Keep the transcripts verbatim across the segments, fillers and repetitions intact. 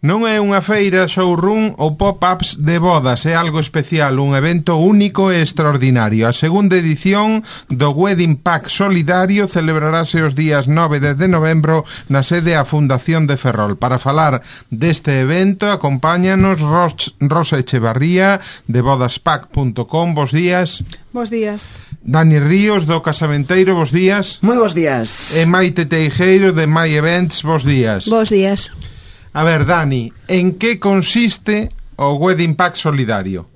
Non é unha feira, showroom ou pop-ups de bodas, é algo especial, un evento único e extraordinario. A segunda edición do Wedding Pack Solidario celebrarase os días nove e dez de novembro na sede a Fundación de Ferrol. Para falar deste evento, acompáñanos Ros, Rosa Echevarría de bodaspack punto com. Bos días. Bos días. Dani Ríos do Casamenteiro, bos días. Moi bos días. E Maite Teijeiro de My Events, bos días. Bos días. A ver, Dani, en que consiste o Wedding Pack Solidario?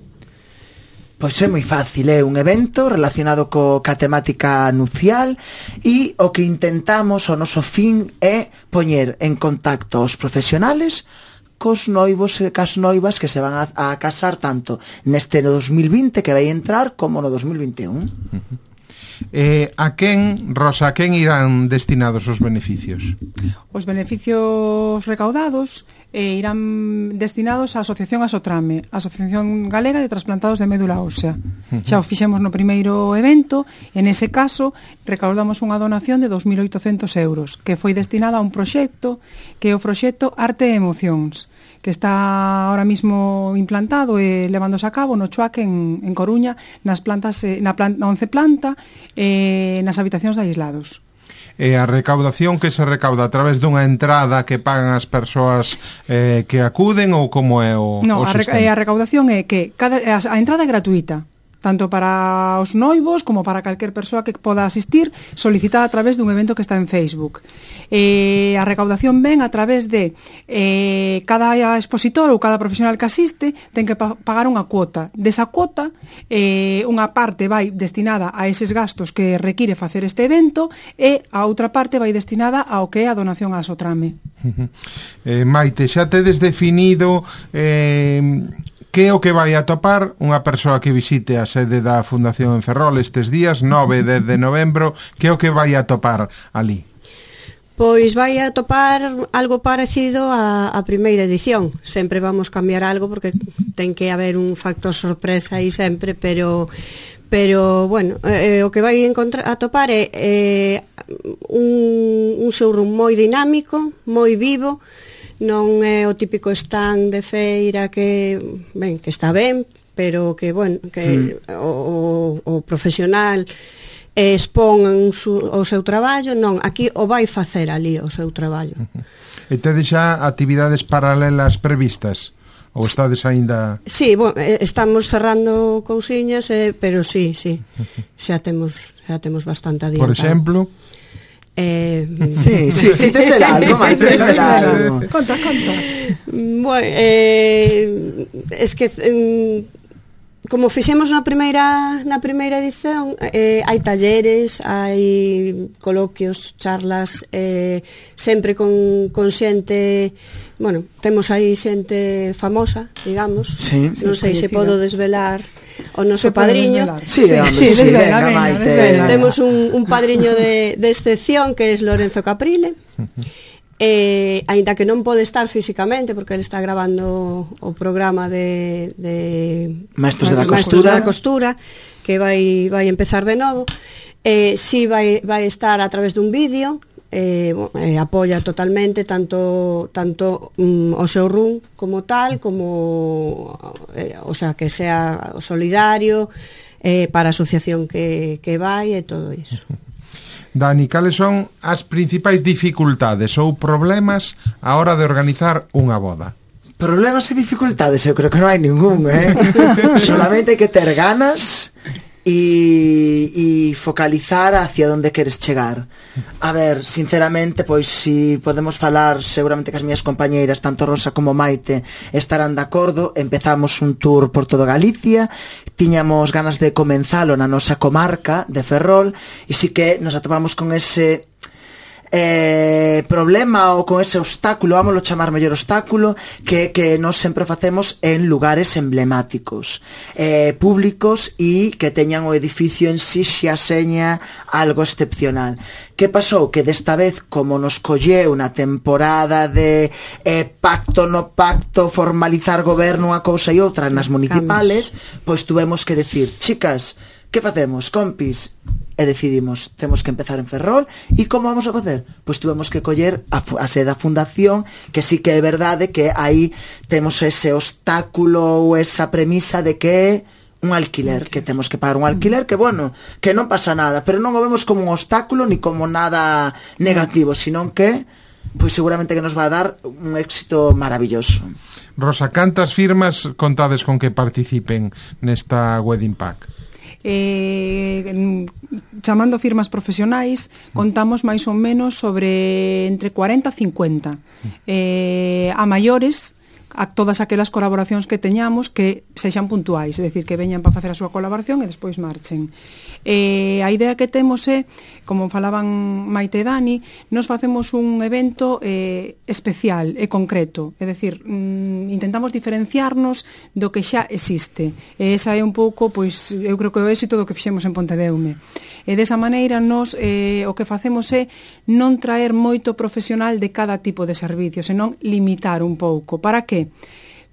Pois é moi fácil, é un evento relacionado co, ca temática nupcial e o que intentamos, o noso fin é poñer en contacto os profesionales cos noivos e cas noivas que se van a, a casar tanto neste no dos mil vinte que vai entrar como no dos mil vinte e un. Uh-huh. Eh, a quen, Rosa, a quen irán destinados os beneficios? Os beneficios recaudados eh, irán destinados á Asociación Asotrame, a Asociación Galega de Trasplantados de Médula Ósea. Uh-huh. Xa o fixemos no primeiro evento, en ese caso recaudamos unha donación de dos mil oitocentos euros, que foi destinada a un proxecto que é o proxecto Arte e Emocións, que está ahora mismo implantado e levándose a cabo no Chuac en, en Coruña, nas plantas, na, planta, na once planta, eh, nas habitacións de aislados. E a recaudación que se recauda a través dunha entrada que pagan as persoas eh, que acuden ou como é o, no, o a, re, a recaudación é que cada, a, a entrada é gratuita, tanto para os noivos como para calquer persoa que poda asistir, solicitada a través dun evento que está en Facebook. Eh, a recaudación ven a través de eh, cada expositor ou cada profesional que asiste ten que pa pagar unha cuota. Desa cuota, eh, unha parte vai destinada a eses gastos que require facer este evento e a outra parte vai destinada ao que é a donación a Asotrame. eh, Maite, xa tedes definido eh, que é o que vai atopar unha persoa que visite a sede da Fundación en Ferrol estes días nove e dez de novembro? Que é o que vai atopar ali? Pois vai atopar algo parecido á, á primeira edición. Sempre vamos cambiar algo porque ten que haber un factor sorpresa aí sempre, pero pero bueno, eh, o que vai encontrar atopar é eh, un, un showroom moi dinámico, moi vivo. Non é o típico stand de feira que, ben, que está ben, pero que, bueno, que mm. o, o profesional expón su, o seu traballo, non, aquí o vai facer ali o seu traballo. Uh-huh. E tedes xa actividades paralelas previstas? Ou estades aínda... Sí, bueno, estamos cerrando cousiñas, eh, pero sí, sí, xa temos, xa temos bastante adiantado. Por exemplo... Eh, sí, sí, sí, desvela algo, máis, desvela algo. Conta, conta. Bueno, eh, es que eh, como fixemos na primeira na primeira edición, eh, hai talleres, hai coloquios, charlas, eh, sempre con, con xente, bueno, temos aí xente famosa, digamos. Sí, non sí, sei se podo desvelar o noso se padriño. Sí, hombre, sí, sí, desvela, venga, venga, Maite. desvela. Temos un, un padriño de, de excepción que é Lorenzo Caprile. Eh, aínda que non pode estar físicamente porque ele está grabando o programa de, de Maestros de la Maestros Costura, de la Costura que vai, vai empezar de novo. Eh, si vai, vai estar a través dun vídeo. Eh, bueno, eh, apoia totalmente tanto tanto um, o seu rum como tal, como eh, o sea, que sea solidario eh, para a asociación que, que vai e todo iso. Dani, cales son as principais dificultades ou problemas a hora de organizar unha boda? Problemas e dificultades, eu creo que non hai ningún, eh? Solamente hai que ter ganas e, e focalizar hacia onde queres chegar. A ver, sinceramente, pois si podemos falar, seguramente que as miñas compañeiras, tanto Rosa como Maite, estarán de acordo. Empezamos un tour por todo Galicia, tiñamos ganas de comenzalo na nosa comarca de Ferrol, e si que nos atopamos con ese eh, problema ou con ese obstáculo, vámoslo chamar mellor obstáculo, que que nós sempre facemos en lugares emblemáticos, eh, públicos e que teñan o edificio en si xa seña algo excepcional. Que pasou? Que desta vez, como nos colleu unha temporada de eh, pacto no pacto, formalizar goberno unha cousa e outra nas municipales, pois tuvemos que decir, chicas, que facemos, compis? e decidimos, temos que empezar en Ferrol, e como vamos a facer? Pois tuvemos que coller a, a sede da fundación, que sí que é verdade que aí temos ese obstáculo ou esa premisa de que un alquiler, que temos que pagar un alquiler que, bueno, que non pasa nada, pero non o vemos como un obstáculo ni como nada negativo, sino que pois seguramente que nos va a dar un éxito maravilloso. Rosa, cantas firmas contades con que participen nesta Wedding Pack? Eh, chamando firmas profesionais, contamos máis ou menos sobre entre cuarenta e cincuenta. Eh, a maiores, a todas aquelas colaboracións que teñamos que sexan puntuais, é dicir, que veñan para facer a súa colaboración e despois marchen. Eh, a idea que temos é, como falaban Maite e Dani, nos facemos un evento eh, especial e concreto, é dicir, mm, intentamos diferenciarnos do que xa existe. E esa é un pouco, pois, eu creo que o éxito do que fixemos en Pontedeume. E desa maneira, nos, eh, o que facemos é non traer moito profesional de cada tipo de servicio, senón limitar un pouco. Para que?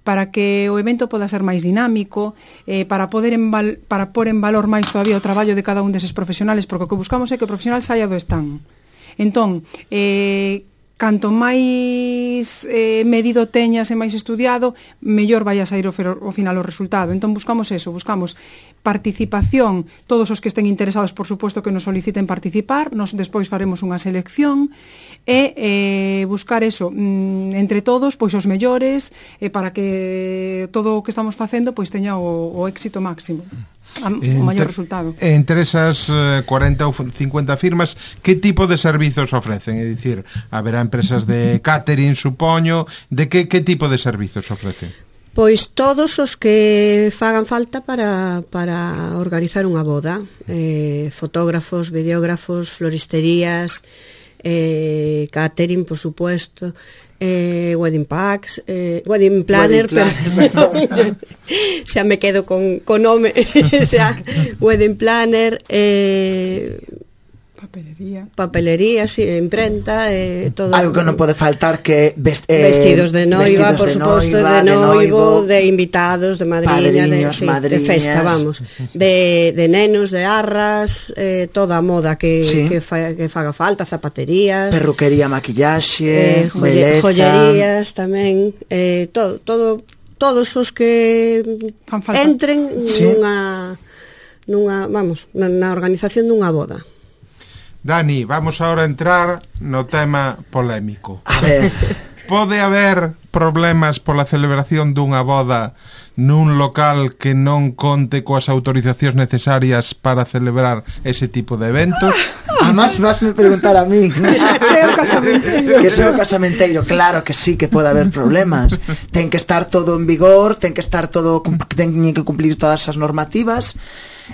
Para que o evento poda ser máis dinámico, eh, para poder enval, para pôr en valor máis todavía o traballo de cada un deses profesionales, porque o que buscamos é que o profesional saia do stand. Entón, eh, canto máis eh, medido teñas e máis estudiado, mellor vai a sair o, o final o resultado. Entón buscamos eso, buscamos participación, todos os que estén interesados, por suposto, que nos soliciten participar, nos despois faremos unha selección e eh, buscar eso, mm, entre todos, pois os mellores, eh, para que todo o que estamos facendo pois teña o, o éxito máximo. O maior resultado. Entre esas eh, cuarenta ou cincuenta firmas, que tipo de servizos ofrecen? É dicir, haberá empresas de catering, supoño, de que, que tipo de servizos ofrecen? Pois todos os que fagan falta para, para organizar unha boda, eh, fotógrafos, videógrafos, floristerías, eh, catering, por supuesto, eh, wedding packs, eh, wedding planner, wedding planner. Xa me quedo con, con nome, xa, wedding planner, eh, papelería, papelería, sí, imprenta, eh, todo. Algo que non pode faltar que vest, eh, vestidos de noiva, por de suposto, noiva, de noivo, de, de invitados, de madriña, de, sí, de festa, vamos, de, de nenos, de arras, eh, toda a moda que, sí. que, fa, que faga falta, zapaterías, perruquería, maquillaxe, eh, joye, joyerías tamén, eh, todo, todo, todos os que entren sí. nunha, nunha, vamos, na, na organización dunha boda. Dani, vamos ahora a entrar no tema polémico. A ver. Pode haber problemas pola celebración dunha boda nun local que non conte coas autorizacións necesarias para celebrar ese tipo de eventos? Además, vasme preguntar a mí. Que é o casamenteiro. Que é o casamenteiro. Claro que sí, que pode haber problemas. Ten que estar todo en vigor, ten que estar todo, ten que cumplir todas as normativas.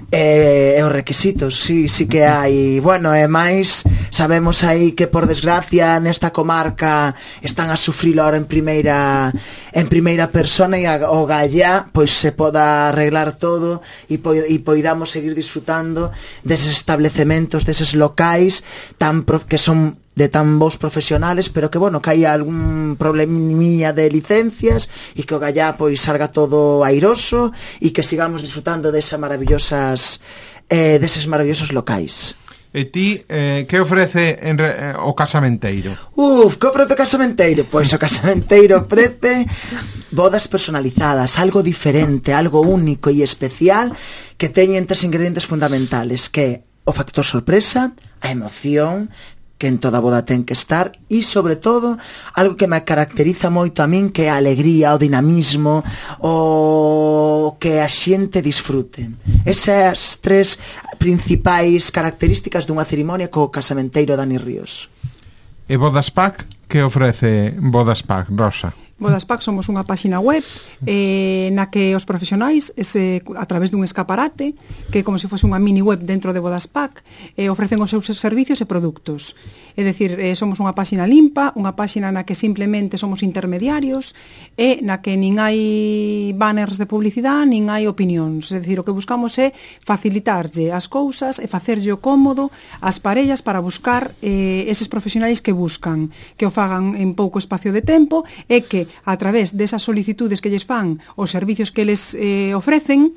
E, e os requisitos, sí, sí que hai. Bueno, e máis sabemos aí que por desgracia nesta comarca están a sufrilo ahora en primeira en primeira persona e a, o gallá pois se poda arreglar todo e, po, e poidamos seguir disfrutando deses establecementos, deses locais tan prof, que son de tan bons profesionales, pero que, bueno, que hai algún probleminha de licencias e que o gallá, pois, salga todo airoso e que sigamos disfrutando desas maravillosas eh, deses maravillosos locais. E ti, eh, que ofrece en re, eh, o casamenteiro? Uf, que ofrece o casamenteiro? Pois o casamenteiro ofrece bodas personalizadas, algo diferente, algo único e especial que teñen tres ingredientes fundamentales, que é o factor sorpresa, a emoción, que en toda boda ten que estar, e sobre todo algo que me caracteriza moito a min, que é a alegría, o dinamismo, o que a xente disfrute. Esas tres principais características dunha cerimonia co casamenteiro Dani Ríos. E Bodas Pack, que ofrece Bodas Pack, Rosa? Bodas Pack somos unha páxina web eh, na que os profesionais ese, a través dun escaparate que como se fose unha mini web dentro de Bodas Pack eh, ofrecen os seus servicios e produtos. É dicir, eh, somos unha páxina limpa, unha páxina na que simplemente somos intermediarios e na que nin hai banners de publicidade nin hai opinións. É dicir, o que buscamos é facilitarlle as cousas e facerlle o cómodo ás parellas para buscar eh, eses profesionais que buscan, que o fagan en pouco espacio de tempo e que a través desas solicitudes que lles fan os servicios que les eh, ofrecen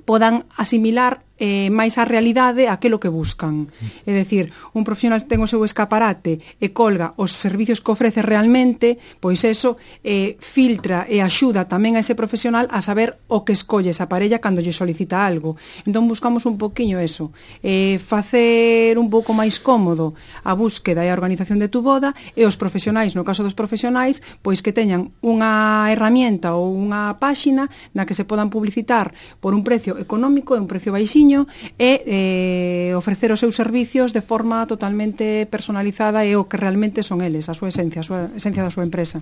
podan asimilar eh, máis a realidade aquilo que buscan. É dicir, un profesional ten o seu escaparate e colga os servicios que ofrece realmente, pois eso eh, filtra e axuda tamén a ese profesional a saber o que escolle esa parella cando lle solicita algo. Entón buscamos un poquinho eso, eh, facer un pouco máis cómodo a búsqueda e a organización de tu boda, e os profesionais, no caso dos profesionais, pois que teñan unha herramienta ou unha páxina na que se podan publicitar por un precio económico e un precio baixiño e eh, ofrecer os seus servicios de forma totalmente personalizada e o que realmente son eles, a súa esencia, a súa esencia da súa empresa.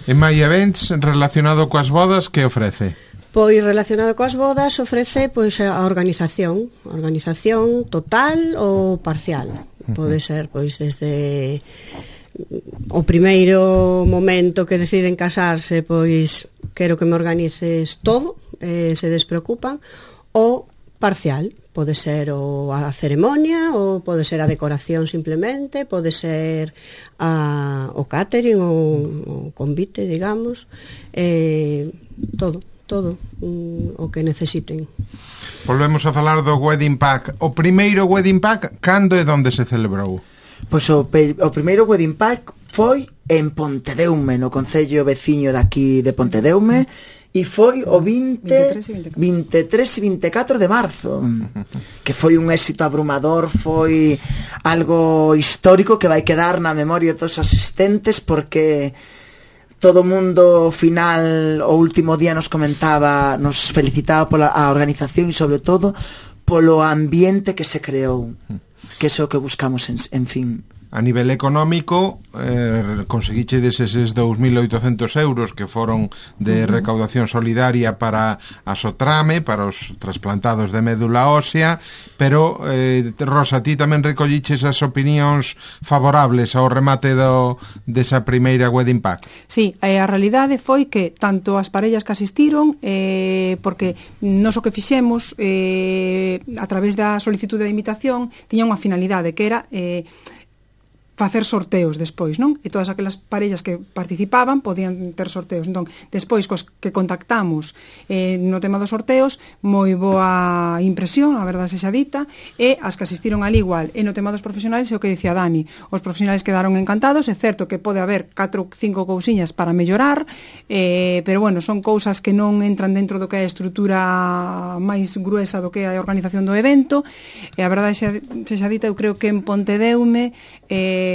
En My Events, relacionado coas bodas, que ofrece? Pois relacionado coas bodas ofrece pois a organización, a organización total ou parcial. Pode ser pois desde o primeiro momento que deciden casarse, pois quero que me organices todo, eh, se despreocupan, ou parcial, pode ser o a ceremonia ou pode ser a decoración simplemente, pode ser a, o catering ou o convite, digamos, eh, todo, todo um, o que necesiten. Volvemos a falar do Wedding Pack. O primeiro Wedding Pack, cando e onde se celebrou? Pois o, pe, o primeiro Wedding Pack foi en Pontedeume, no concello veciño daqui de Pontedeume, e foi o vinte, vinte e tres e vinte e catro de marzo, que foi un éxito abrumador, foi algo histórico que vai quedar na memoria de todos os asistentes, porque todo o mundo final o último día nos comentaba, nos felicitaba pola a organización e sobre todo polo ambiente que se creou, que é o que buscamos en, en fin. A nivel económico, eh, conseguiche deses dous mil oitocentos euros que foron de recaudación solidaria para a Sotrame, para os trasplantados de médula ósea, pero, eh, Rosa, ti tamén recolliches as opinións favorables ao remate do, desa primeira Wedding Pack. Sí, eh, a realidade foi que tanto as parellas que asistiron, eh, porque nos o que fixemos eh, a través da solicitude de invitación tiña unha finalidade que era eh, facer sorteos despois, non? E todas aquelas parellas que participaban podían ter sorteos. Entón, despois, cos que contactamos eh, no tema dos sorteos, moi boa impresión, a verdade sexa dita, e as que asistiron al igual. E no tema dos profesionais, é o que dicía Dani, os profesionais quedaron encantados, é certo que pode haber catro ou cinco cousiñas para mellorar, eh, pero bueno, son cousas que non entran dentro do que é a estrutura máis gruesa do que é a organización do evento, e a verdade sexa, sexa dita, eu creo que en Pontedeume eh,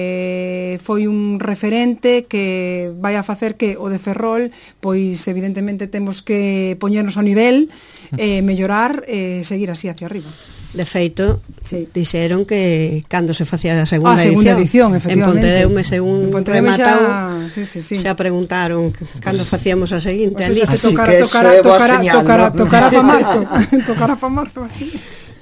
foi un referente que vai a facer que o de Ferrol, pois evidentemente temos que poñernos ao nivel, eh, mellorar e eh, seguir así hacia arriba. De feito, sí, dixeron que cando se facía a segunda, ah, segunda edición, edición en Pontedeume, según rematado, xa, sí, sí, sí. se preguntaron cando facíamos a seguinte. Pues ali. Que tocara, tocara, tocara, tocara, tocara pa marzo, tocara pa marzo así.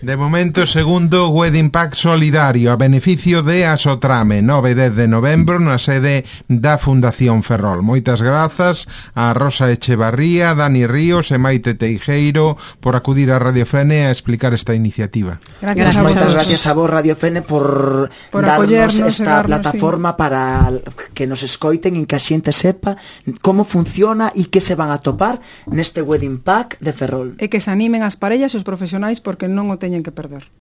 De momento, segundo Wedding Pack solidario a beneficio de Asotrame, nove e dez de novembro na sede da Fundación Ferrol. Moitas grazas a Rosa Echevarría, Dani Ríos e Maite Teijeiro por acudir a Radio Fene a explicar esta iniciativa. Gracias, a moitas gracias a vos, Radio Fene, por, por darnos esta darnos, plataforma sí, para que nos escoiten e que a xente sepa como funciona e que se van a topar neste Wedding Pack de Ferrol. E que se animen as parellas e os profesionais porque non o teñen que perder.